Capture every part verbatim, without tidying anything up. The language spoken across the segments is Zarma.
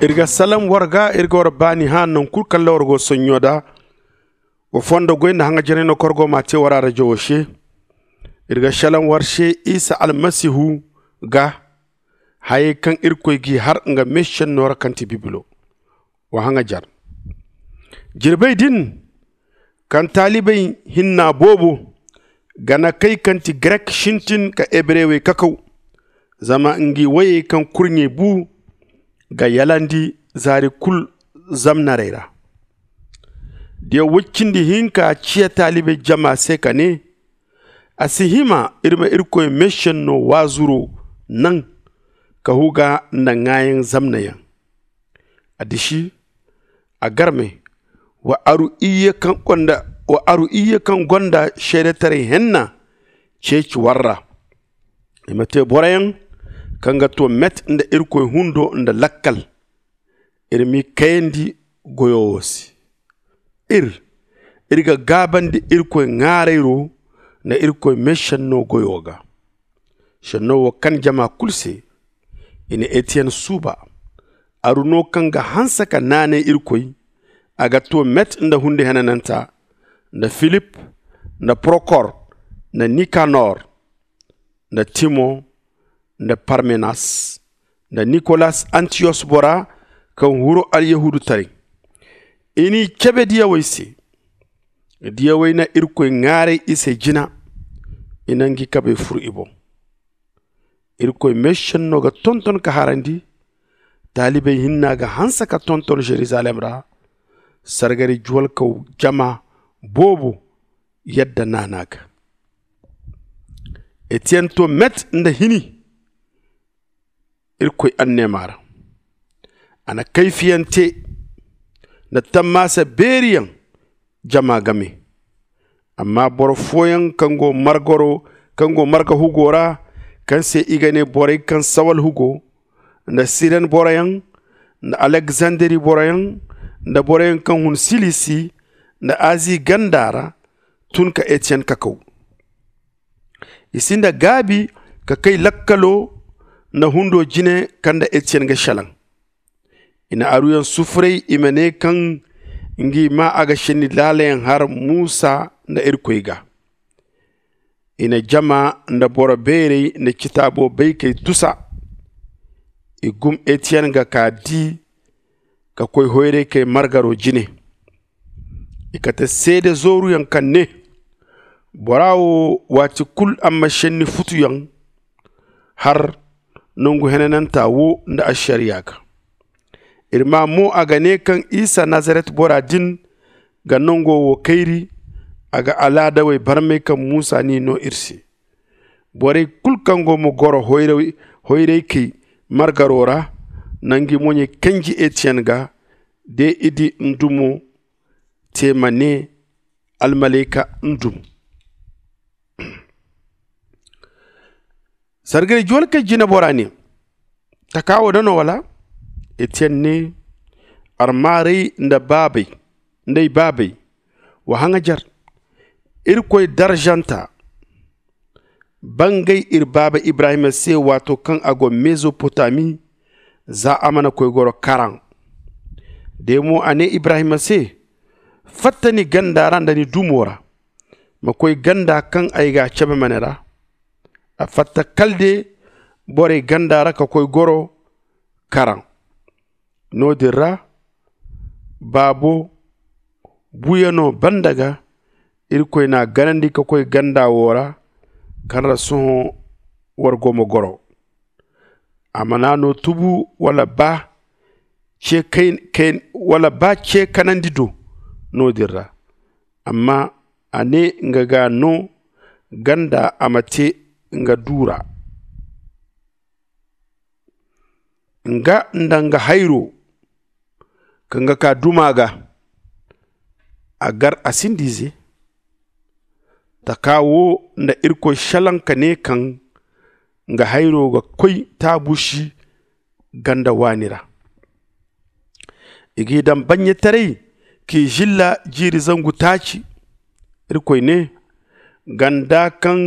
Iri ga salaŋ war ga, iri ga war baani hã naŋ kulu kaŋ ra war go sonɲo da. Wa fondo goy nda haŋajaray no kaŋ war go m'a te war arajo wo se. Iri ga salaŋ war se isa almasihu ga, hayey kaŋ irkoy g'i har nga meesenno ra kaŋ ti bibilo. Wa haŋajar jirbey din, kaŋ taalibey hinna boobo gana kay kaŋ ti grek sintin ka hebrewey kakaw. Zama ngi woyey kaŋ kurɲey bu ga yalandi zaari kulu zamnarey ra. Diya woy cindi hinka ciya taalibey jama se ka ne, a si hima iri ma irkoy meesenno waazuro naŋ ka huga nda ŋaayaŋ zamnayaŋ. A disi a garme, wa aru iyye kaŋ gonda seedetaray henna ceeci war ra. I ma te boroyaŋ kaŋ ga to met nda irkoy hundo nda lakkal. Iri m'i kayandi goyo wo se. Ir iri ga gaabandi irkoy ŋaarayro nda irkoy meesenno goyo ga. Senno wo kan jama kulu se. I na etiyen suuba, aru no kaŋ ga hanse ka naanay irkoy. A ga to met nda hundi henananta, nda filip, nda prokor, nda nikanor, nda timo, nda parmenas, nda nikolas antiyos bora kaŋ huru alyahuudutaray. I n'i cabe diyawey se. Diyawey na irkoy ŋaaray i se jina. I na ngi kabey furu i boŋ. Irkoy meesenno ga tonton ka harandi. Taalibey hinna ga hanse ka tonton yeruzalem ra. Sargari juwalkaw jama boobo yadda naana ga. Etiyen to met nda hini irkoy anneema ra. A na kayfiyaŋ te nda tammaasa beeriyaŋ jama game. Amma boro fooyaŋ kaŋ go marga hugo ra, kaŋ se i ga ne borey kaŋ sawal hugo, nda siren boroyaŋ, nda alekzanderi boroyaŋ, nda boroyaŋ kaŋ hun silisi nda azi ganda ra, tun ka etiyen kakaw. I sinda gaabi ka kay lakkalo nda hundo jine kaŋ nda etiyen ga selaŋ. I na aruyaŋ sufuray i ma ne kaŋ ngi ma a ga senni laalayaŋ har musa nda irkoy ga. I na jama nda boro beerey nda citaabo baykey tusa. I gum etiyen ga ka di ka koy hoyraykey margaro jine. I kate seede zooruyaŋ kaŋ ne, bora wo waati kulu a ma senni futuyaŋ har nangu henananta wo nda ašariya ga. Iri maa mo a ga ne kaŋ isa nazaret bora din ga nango wo kayri. A ga alaadawey barmay kaŋ musa n'i no iri se. Borey kulu kaŋ go ma goro hoyraykey margaro ra na ngi moɲey kanji etiyen ga. De i di ndumo te ma ne almalayka ndum. Sargari juwalkey jinebora ne, taka wo da no wala? Etiyen ne, armaaray nda ay baabey, wa haŋajer. Irkoy darzanta bangay iri baaba ibrahima se waato kaŋ a go mezopotami, za a mana koy goro karan. De mo a ne ibrahima se, fatta ni ganda ra nda ni dumo ra, ma koy ganda kaŋ ay g'a cabe ma ne ra. A fatta kala de borey ganda ra ka koy goro karan. No- din ra baabo buyano banda ga, irkoy n'a ganandi ka koy ganda wo ra, kaŋ ra sohõ war go ma goro. A mana no tubu wala ba ce kanandi do no- din ra. Amma a ne nga ga no ganda a ma te nga du ra. Nga nda nga hayro kaŋ ga ka duma ga, a gar a sinda ize. Taka wo nda irkoy salaŋ ka ne kaŋ nga hayro ga koy taabusi ganda waani ra. I g'i daŋ bannyataray k'i zilla jiiri zangu taaci. Irkoy ne, ganda kaŋ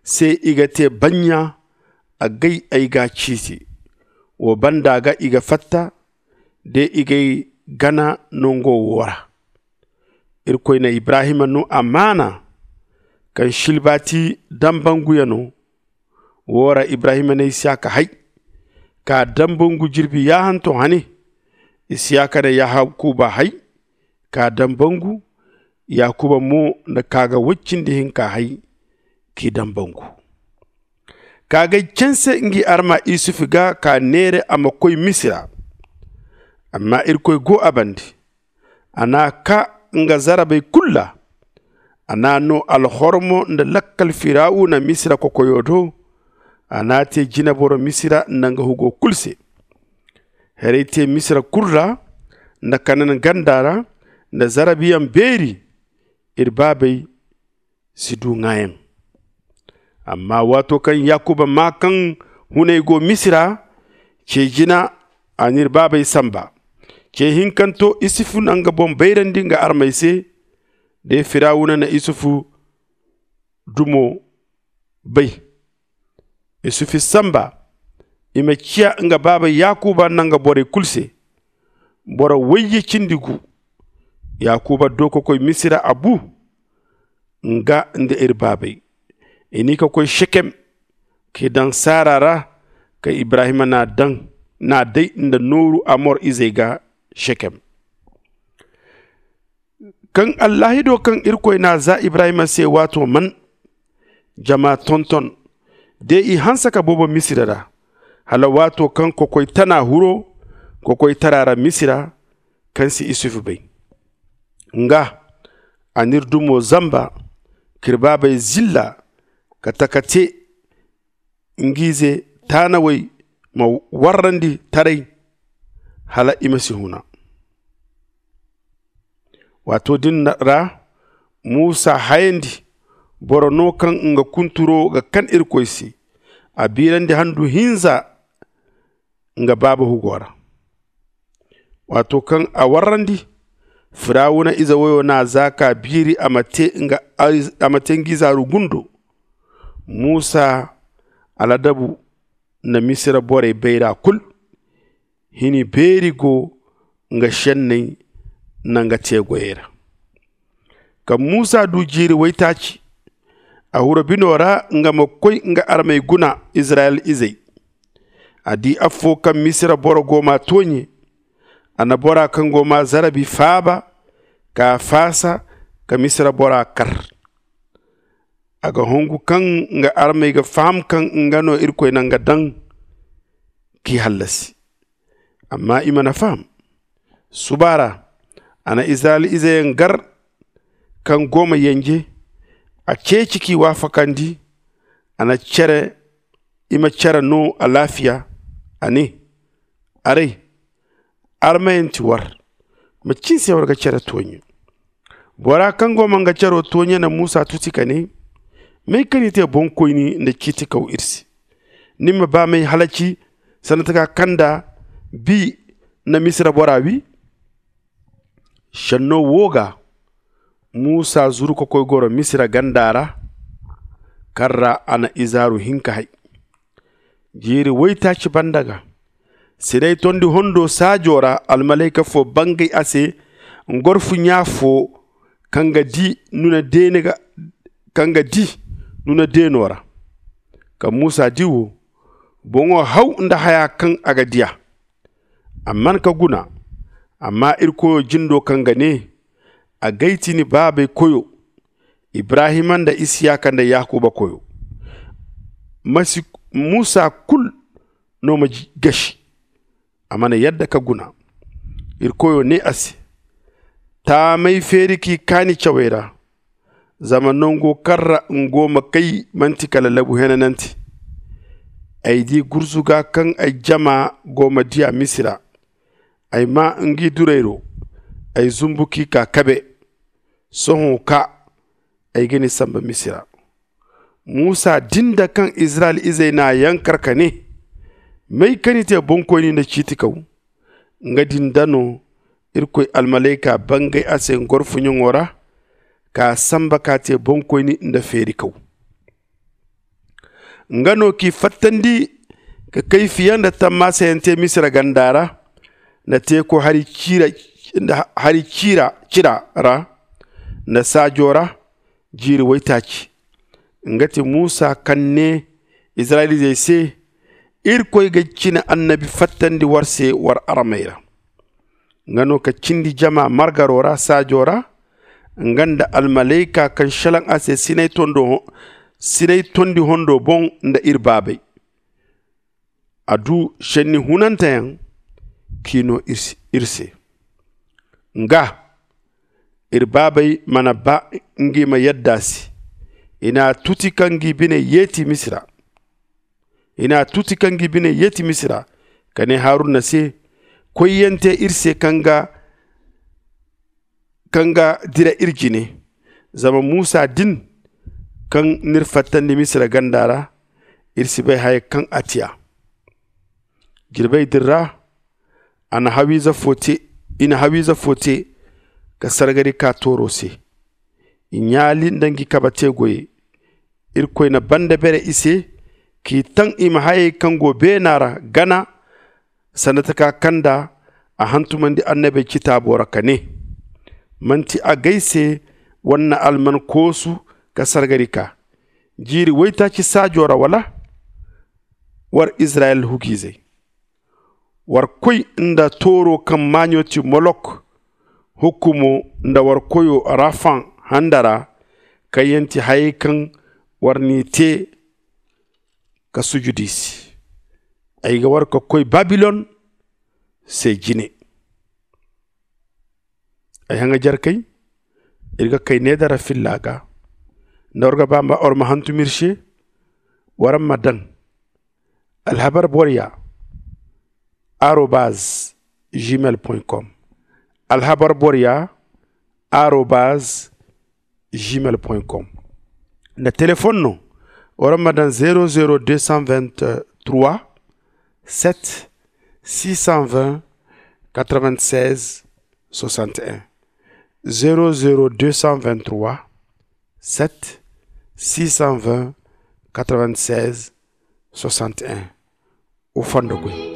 se i ga te bannya, agay ay g'a ciiti. Wo banda ga i ga fatta, de i g'ay gana nango wo ra. Irkoy na ibrahima no amaana kaŋ silbaati dambangu ya no. Wo ra ibrahima na isiyaka hay ka dambangu jirbi yaahanto hane. Isiyaka na yakuba hay ka dambangu. Yakuba mo na kaaga woy cindi hinka hay k'i dambangu. Kaagay canse ngi arma isufu ga ka neere a ma koy misira. Amma irkoy go a bande. A n'a kaa nga zarabey kulu ra. A n'a no alhormo nda lakkal firawuna misira kokoyo do. A n'a te jineboro misira nda nga hugo kulu se. Herey te misira kulu ra nda kanan ganda ra nda zarabiyaŋ beeri. Iri baabey si du ŋaayaŋ. Amma waato kaŋ yakuba maa kaŋ hunay go misira, ce jina a n'iri baabey samba. Ce hinkanto isufu na nga boŋ bayrandi nga armey se. De firawuna na isufu dumo bay. Isufu samba i ma ciya nga baaba yakuba nda nga borey kulu se. Boro wayye cindi gu. Yakuba do ka koy misira a bu. Nga nda iri baabey i n'i ka koy sekem k'i daŋ saara ra. Kaŋ ibrahima n'a daŋ n'a day nda nooru amor izey ga sekem. Kaŋ allaahido kaŋ irkoy n'a za ibrahima se waato man. Jama tonton de i hanse ka boobo misira ra hala waato kaŋ kokoy tana huro kokoy tara ra misira. Kaŋ si isufu bay nga a n'iri dumo zamba k'iri baabey zilla ka taka te. Ng'ize taanawey ma warrandi taray hala i ma si huna. Waato din ra muusa hayandi boro no kaŋ nga kunturo ga kan irkoy se. A biirandi handu hinza nga baaba hugo ra. Waato kaŋ a warrandi firawuna ize woyo n'a za k'a biiri a ma te ng'izaaru gundo. Muusa aladabu na misira borey bayra kulu. Hini beeri go nga senney nda nga teegoyey ra. Kaŋ muusa du jiiri waytaaci a huru bino ra nga ma koy nga armey guna izirayel izey. A di affo kaŋ misira boro go m'a tooɲe. A na bora kaŋ go m'a zarabi faaba k'a faasa ka misira bora kar. A ga hongu kaŋ nga armey ga faham kaŋ nga no irkoy na nga daŋ k'i hallasi. Amma i mana faham. Suba ra a na izirayel izeyaŋ gar kaŋ go ma yanje. A ceeci k'i waafakandi. A na cere i ma cere no alaafiya. A ne, aray armayanti war ma cinse war ga cere tooɲe. Bora kaŋ go ma nga caro tooɲe na muusa tuti ka ne, may ka ni te boŋkoyni nda ciitikaw iri se? Ni ma ba m'ay halaci sanda taka kaŋ nda bi na misira bora wi? Senno wo ga muusa zuru ka koy goro misira ganda ra. Kaŋ ra a na izaaru hinka hay. Jiiri waytaaci banda ga sinay tondi hondo saajo ra almalayka fo bangay a se. Ngorfu ɲa fo kaŋ ga di nuna deeni ga kaŋ ga di nuna deeno ra. Kaŋ muusa di wo boŋo haw nda haya kaŋ a ga diya. A man ka guna. Amma iri koyo jindo kaŋ ga ne a gay ti ni baabey koyo, ibrahima nda isiyaka nda yakuba koyo. Masi muusa kulu no ma gasi. A mana yadda ka guna. Iri koyo ne a se, taamay feeri k'i kaani cawey ra. Zama nango kaŋ ra nga go ma kay manti kala labu henanante. Ay di gurzuga kaŋ ay jama go ma diya misira. Ay maa ngi durayro. Ay zumbu k'i kaa kabe. Sohõ kaa ay ga ni samba misira. Muusa din da kaŋ izirayel izey n'a yankar ka ne, may ka ni te boŋkoyni nda ciitikaw? Nga din da no irkoy almalayka bangay a se ngorfuɲaŋo ra k'a samba k'a te boŋkoyni nda feerikaw. Nga no k'i fattandi ka kayfiyaŋ nda tammasayaŋ te misira ganda ra. nda teeko hari ciira ra nda saajo ra jiiri waytaaci. Nga ti muusa kaŋ ne izirayelizey se, irkoy ga cine annabi fattandi war se war armey ra. Nga no ka cindi jama margaro ra saajo ra, nga nda almalayka kaŋ šelaŋ a se sinay tondi hondo boŋ nda iri baabey. A du šenni hunanteyaŋ k'i no iri se. Nga iri baabey mana ba ngi ma yadda a se. I n'a tuti ka ngi bine yeeti misira. I n'a tuti ka ngi bine yeeti misira, ka ne haruna se, koyyaŋ te iri se kaŋ ga kaŋ ga dira iri jine. Zama muusa din kaŋ n'iri fattandi misira ganda ra, iri si bay haya kaŋ a ti a. Jirbey din ra i na hawiize fo te ka sargari ka tooro se. I ɲaali nda ngi kabe te goyey. Irkoy na banda bere i se, k'i taŋ i ma hayey kaŋ go beena ra gana. Sanda taka kaŋ nda a hantumandi annabey citaabo ra ka ne, manti agay se war na alman koosu ka sargari ka jiiri waytaaci saajo ra wala? War izirayel hugiizey, war koy nda tooro kaŋ maaɲo ti molok hukumo, nda war koyo rafaŋ handa ra, kaŋ yaŋ ti hayey kaŋ war n'i te ka sujudu i se. Ay ga war ka koy babilon se jine. Ay haŋajarkey, iri ga kay needara filla ga. Nda war ga ba war ma hantum iri se, war ma daŋ alhabar borya arobaz gmail point com. Alhabar borya arobaz gmail point com. Nda telefon no, war ma daŋ zero zero deux cent vingt-trois sept six cent vingt quatre-vingt-seize soixante et un. Zero zero deux cent vingt-trois sept six cent vingt quatre-vingt-seize soixante et un. O fondo koy.